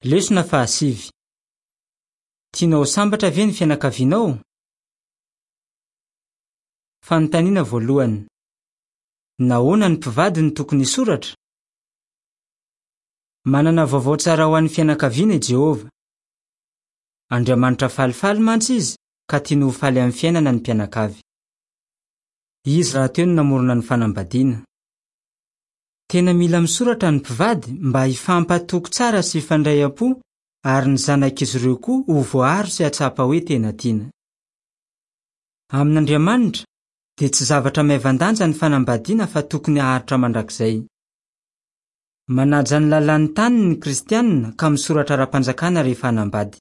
Lesona fahasivy. Tianao ho sambatra ve ny fianakavianao? Fanontaniana voalohany. Nahoana ny mpivady no tokony hisoratra? Manana vaovao tsara ho an'ny fianakaviana i Jehovah. Andriamanitra falifaly mantsy izy ka tiany ho faly amin'ny fiainana ny mpianakavy. Izy rahateo no namorona ny fanambadiana. Tena mila misoratra ny mpivady mba hifampatoky tsara sy hifandray am-po ary ny zanak'izy ireo koa ho voaaro sy hahatsapa hoe tena tiana. Amin'Andriamanitra, dia tsy zavatra maivan-danja ny fanambadiana fa tokony haharitra mandrakizay. Manaja ny lalàn'ny taniny ny Kristianina ka misoratra ara-panjakana rehefa hanambady.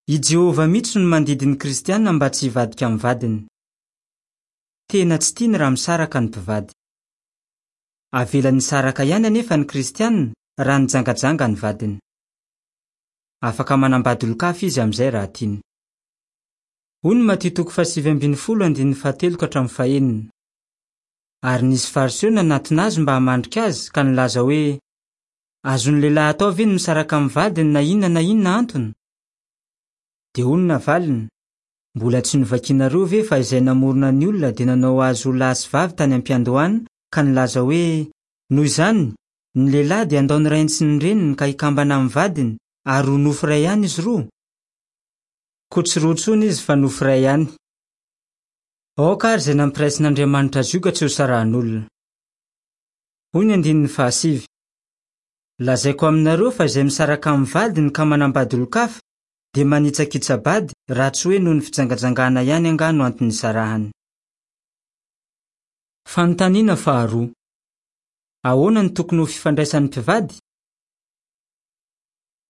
I Jehovah mihitsy no mandidy ny Kristianina mba tsy hivadika amin'ny vadiny. Tena tsy tiany raha misaraka ny mpivady. Avelany hisaraka ihany anefa ny Kristianina raha nijangajanga ny vadiny. Afaka manambady olon-kafa izy amin'izay raha tiany. Hoy ny Matio toko fahasivy ambin'ny folo andininy fahatelo ka hatramin'ny fahenina. Ary nisy Fariseo nanatona azy mba hamandrika azy ka nilaza hoe, Azon'ny lehilahy atao ve ny misaraka amin'ny vadiny na inona na inona antony? Dia hoy ny navaliny, Mbola tsy novakinareo ve fa izay namorona ny olona dia nanao azy ho lahy sy vavy tany am-piandohana ka nilaza hoe, Noho izany, ny lehilahy dia handao ny rainy sy ny reniny ka hikambana amin'ny vadiny, ary ho nofo iray ihany izy roa? Koa tsy roa intsony izy fa nofo iray ihany. Aoka àry izay nampiraisin'Andriamanitra zioga tsy hosarahan'olona. Hoy ny andininy fahasivy, Lazaiko aminareo fa izay misaraka amin'ny vadiny ka manambady olon-kafa dia manitsakitsa-bady raha tsy hoe noho ny fijangajangana ihany angaha no antony isarahany. Fanontaniana faharoa, Ahoana no tokony ho fifandraisan'ny mpivady?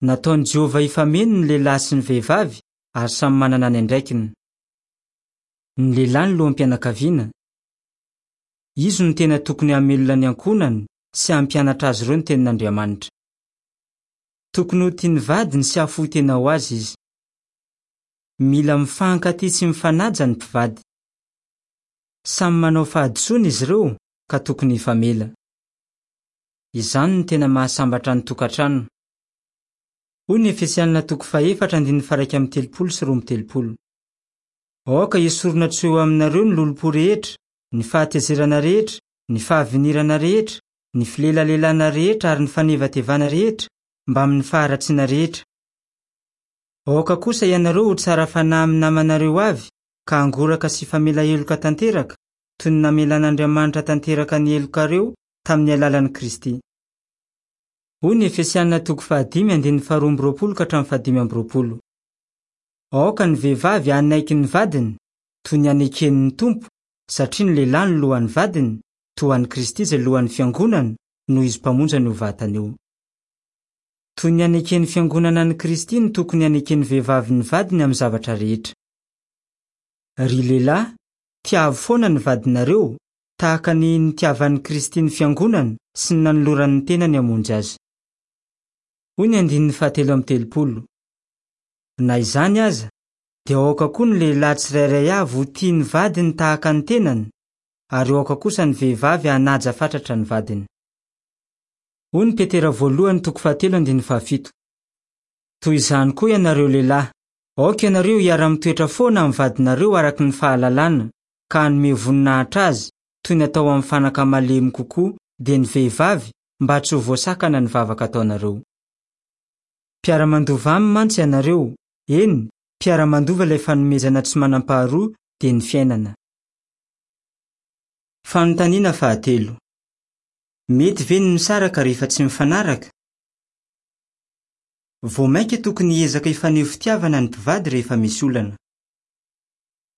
Nataon'i Jehovah hifameno ny lehilahy sy ny vehivavy ary samy manana ny andraikiny. Ny lehilahy no loham-pianakaviana. Izy no tena tokony hamelona ny ankohonany sy hampianatra azy ireo ny Tenin'Andriamanitra. Tokony ho tia ny vadiny sy hahafoy tena ho azy izy. Mila mifankatia sy mifanaja ny mpivady. Samy manao fahadisoana izy ireo ka tokony hifamela. Izany no tena mahasambatra ny tokantrano. Hoy ny Efesianina toko fahefatra andininy faha-31 sy 32. Aoka hesorina tsy ho eo aminareo ny lolompo rehetra, ny fahatezerana rehetra, ny fahavinirana rehetra, ny filelalelana rehetra ary ny fanevatevana rehetra, mbamin'ny faharatsiana rehetra. Aoka kosa ianareo ho tsara fanahy amin'ny namanareo avy, ka hangoraka sy hifamela heloka tanteraka, toy ny namelan'Andriamanitra tanteraka ny helokareo tamin'ny alalan'i Kristy. Hoy ny Efesiana toko fahadimy andininy faharoa amby roapolo ka hatramin'ny fahadimy amby roapolo. Aoka ny vehivavy hanaiky ny vadiny, toy ny anekeny ny Tompo, satria ny lehilahy no lohan'ny vadiny, toa an'i Kristy izay lohan'ny Fiangonana, noho Izy Mpamonjy an'io vatana io. Toy ny aneken'ny Fiangonana an'i Kristy no tokony haneken'ny vehivavy ny vadiny amin'ny zavatra rehetra. Ry lehilahy, tiavo foana ny vadinareo, tahaka ny nitiavan'i Kristy ny Fiangonana sy ny nanolorany ny tenany hamonjy azy. Hoy ny andininy fahatelo amby telopolo. Na izany aza, dia aoka koa ny lehilahy tsirairay avy ho tia ny vadiny tahaka ny tenany, ary aoka kosa ny vehivavy hanaja fatratra ny vadiny. Hoy ny Petera voalohany toko fahatelo andininy fahafito. Toy izany koa ianareo lehilahy, aoka ianareo hiara-mitoetra foana amin'ny vadinareo araka ny fahalalana, ka hanome voninahitra azy, toy ny atao amin'ny fanaka malemy kokoa, dia ny vehivavy, mba tsy ho voasakana ny vavaka ataonareo. Mpiara-mandova aminy mantsy ianareo, eny, mpiara-mandova ilay fanomezana tsy manam-paharoa, dia ny fiainana. Fanontaniana fahatelo. Mety ve ny misaraka rehefa tsy mifanaraka? Vao mainka tokony hiezaka hifaneho fitiavana ny mpivady rehefa misy olana.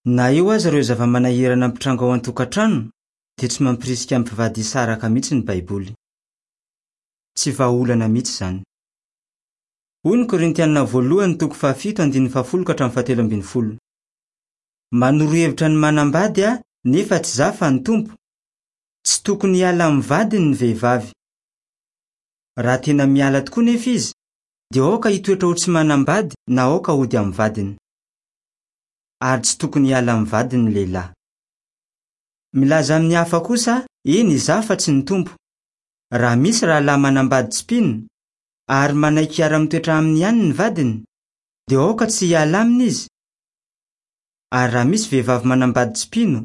Na eo aza ireo zava-manahirana mitranga ao an-tokantrano, dia tsy mampirisika ny mpivady hisaraka mihitsy ny Baiboly. Tsy vahaolana mihitsy izany. Hoy ny Korintianina voalohany toko fahafito andininy fahafolo ka hatramin'ny fahatelo ambin'ny folo. Manoro hevitra ny manambady aho nefa tsy izaho fa ny Tompo. Tsy tokony hiala amin'ny vadiny ny vehivavy. Raha tena miala tokoa nefa izy, dia aoka hitoetra ho tsy manambady na aoka hody amin'ny vadiny. Ary tsy tokony hiala amin'ny vadiny ny lehilahy. Milaza amin'ny hafa kosa aho, eny izaho fa tsy ny Tompo. Raha misy rahalahy manambady tsy mpino, ary manaiky hiara-mitoetra aminy ihany ny vadiny, dia aoka tsy hiala aminy izy. Ary raha misy vehivavy manambady tsy mpino,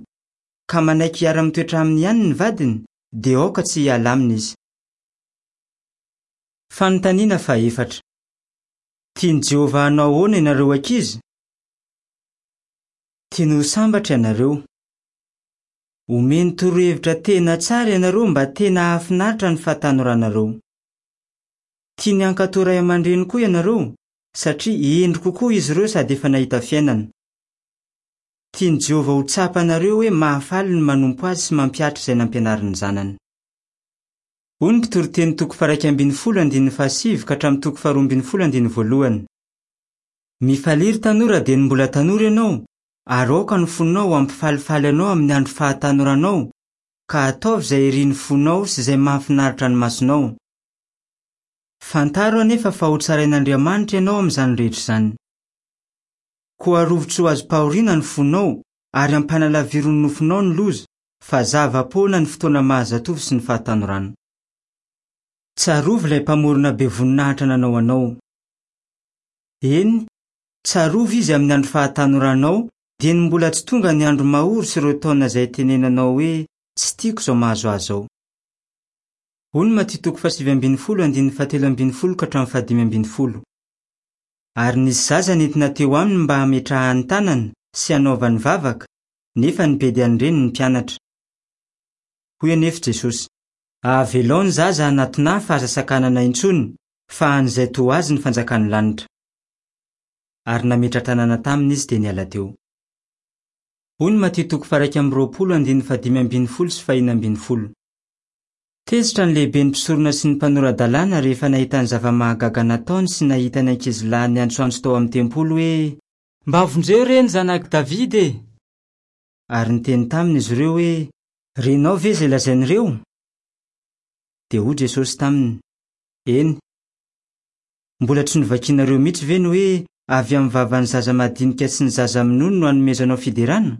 ka manaiky hiara-mitoetra aminy ihany ny vadiny, dia aoka tsy hiala aminy izy. Fanontaniana fahefatra. Tian'i Jehovah hanao ahoana ianareo ankizy? Tiany ho sambatra ianareo. Omeny torohevitra tena tsara ianareo mba tena hahafinaritra ny fahatanoranareo. Tiany hankatò ray aman-dreny koa ianareo, satria hendry kokoa izy ireo sady efa nahita fiainana. Tian'i Jehovah ho tsapanareo hoe mahafaly ny manompo azy sy mampihatra izay nampianarin'ny Zanany. Hoy ny Mpitoriteny toko faha-11 andininy fahasivy ka hatramin'ny toko faha-12 andininy voalohany. Mifalia ry tanora dieny mbola tanora ianao, ary aoka ny fonao hampifalifaly anao amin'ny andro fahatanoranao, ka ataovy izay irin'ny fonao sy izay mahafinaritra ny masonao. Fantaro anefa fa hotsarain'Andriamanitra ianao amin'izany rehetra izany. Koa arovy tsy ho azom-pahoriana ny fonao, ary ampanalaviro ny nofonao ny loza, fa zava-poana ny fotoana maha-zatovo sy ny fahatanorana. Tsarovy ilay Mpamorona be voninahitra nanao anao. Eny, tsarovy Izy amin'ny andro fahatanoranao, dieny mbola tsy tonga ny andro mahory sy ireo taona izay itenenanao hoe, Tsy tiako izao mahazo ahy izao. Hoy ny Matio toko fahasivy ambin'ny folo andininy fahatelo ambin'ny folo ka hatramin'ny fahadimy ambin'ny folo. Ary nisy zaza nentina teo aminy mba hametrahany tanana sy hanaovany vavaka, nefa nibedy an'ireny ny mpianatra. Hoy anefa Jesosy, Avelao ny zaza hanatona ahy fa aza sakanana intsony, fa an'izay toa azy ny fanjakan'ny lanitra. Ary nametra-tanana taminy izy dia niala teo. Hoy ny Matio toko faha-21 andininy fahadimy ambin'ny folo sy fahenina ambin'ny folo. Tezitra ny lehiben'ny mpisorona sy ny mpanora-dalàna rehefa nahita ny zava-mahagaga nataony sy nahita ny ankizilahy niantsoantso tao amin'ny tempoly hoe, Mba vonjeo re ny zanak'i Davida e! Ary niteny taminy izy ireo hoe, Renao ve izay lazain'ireo? Dia hoy Jesosy taminy, Eny. Mbola tsy novakinareo mihitsy ve ny hoe, 'Avy amin'ny vavan'ny zaza madinika sy ny zaza minono no anomezanao fiderana'?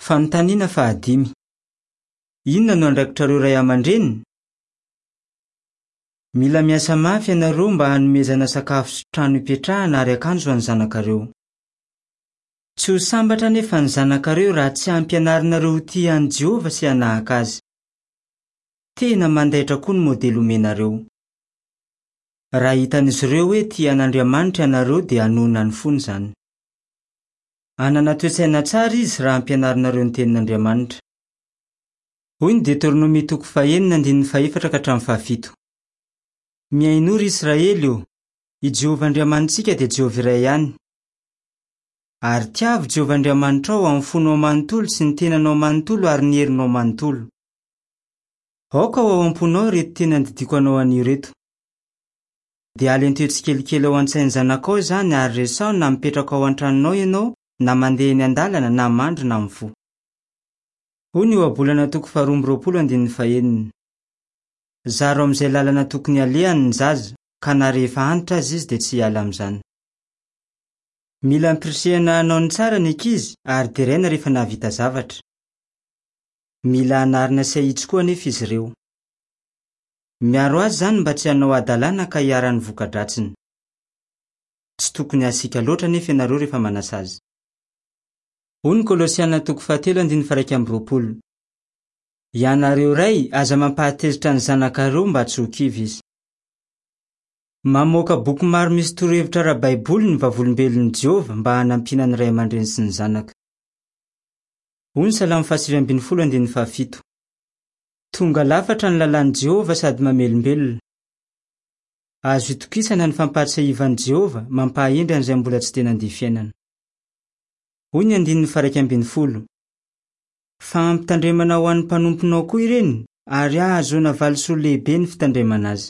Fanontaniana fahadimy. Inona no andraikitrareo ray aman-dreny? Mila miasa mafy ianareo mba hanomezana sakafo sy trano hipetrahana ary akanjo ho an'ny zanakareo. Tsy ho sambatra anefa ny zanakareo raha tsy ampianarinareo ho tia an'i Jehovah sy hanahaka azy. Tena mandaitra koa ny modely omenareo. Raha hitan'izy ireo hoe tia an'Andriamanitra ianareo dia hanohina ny fony izany. Hanana toe-tsaina tsara izy raha ampianarinareo ny Tenin'Andriamanitra. Hoy ny Deteronomia toko fahenina andininy fahefatra ka hatramin'ny fahafito, Mihainoa, ry Israely ô! I Jehovah Andriamanitsika dia Jehovah iray ihany. Ary tiavo Jehovah Andriamanitrao amin'ny fonao manontolo sy ny tenanao manontolo ary ny herinao manontolo. Aoka ho ao am-ponao ireto teny andidiako anao anio ireto. Dia alenteo tsikelikely ao an-tsain'ny zanakao izany ary resaho na mipetraka ao an-tranonao ianao na mandeha eny an-dalana na mandry na mifoha. Hoy ny Ohabolana toko faharoa amby roapolo andininy fahenina, Zaro amin'izay lalana tokony halehany ny zaza, ka na rehefa antitra aza izy dia tsy hiala amin'izany. Mila ampirisihana hanao ny tsara ny ankizy ary deraina rehefa nahavita zavatra. Mila anarina sy ahitsy koa anefa izy ireo. Miaro azy izany mba tsy hanao hadalana ka hiharan'ny voka-dratsiny. Tsy tokony hasiaka loatra anefa ianareo rehefa manasazy. Hoy ny Kolosiana toko fahatelo andininy faha-21, Ianareo ray, aza mampahatezitra ny zanakareo mba tsy ho kivy izy. Mamoaka boky maro misy torohevitra ara-baiboly ny Vavolombelon'i Jehovah mba hanampiana ny ray aman-dreny sy ny zanaka. Hoy ny Salamo fahasivy ambin'ny folo andininy fahafito, Tonga lafatra ny lalàn'i Jehovah sady mamelombelona. Azo itokisana ny fampahatsiahivan'i Jehovah mampahahendry an'izay mbola tsy dia nandia fiainana. Hoy ny andininy faha-11, Fa ampitandremana ho an'ny mpanomponao koa ireny, ary hahazoana valisoa lehibe ny fitandremana azy.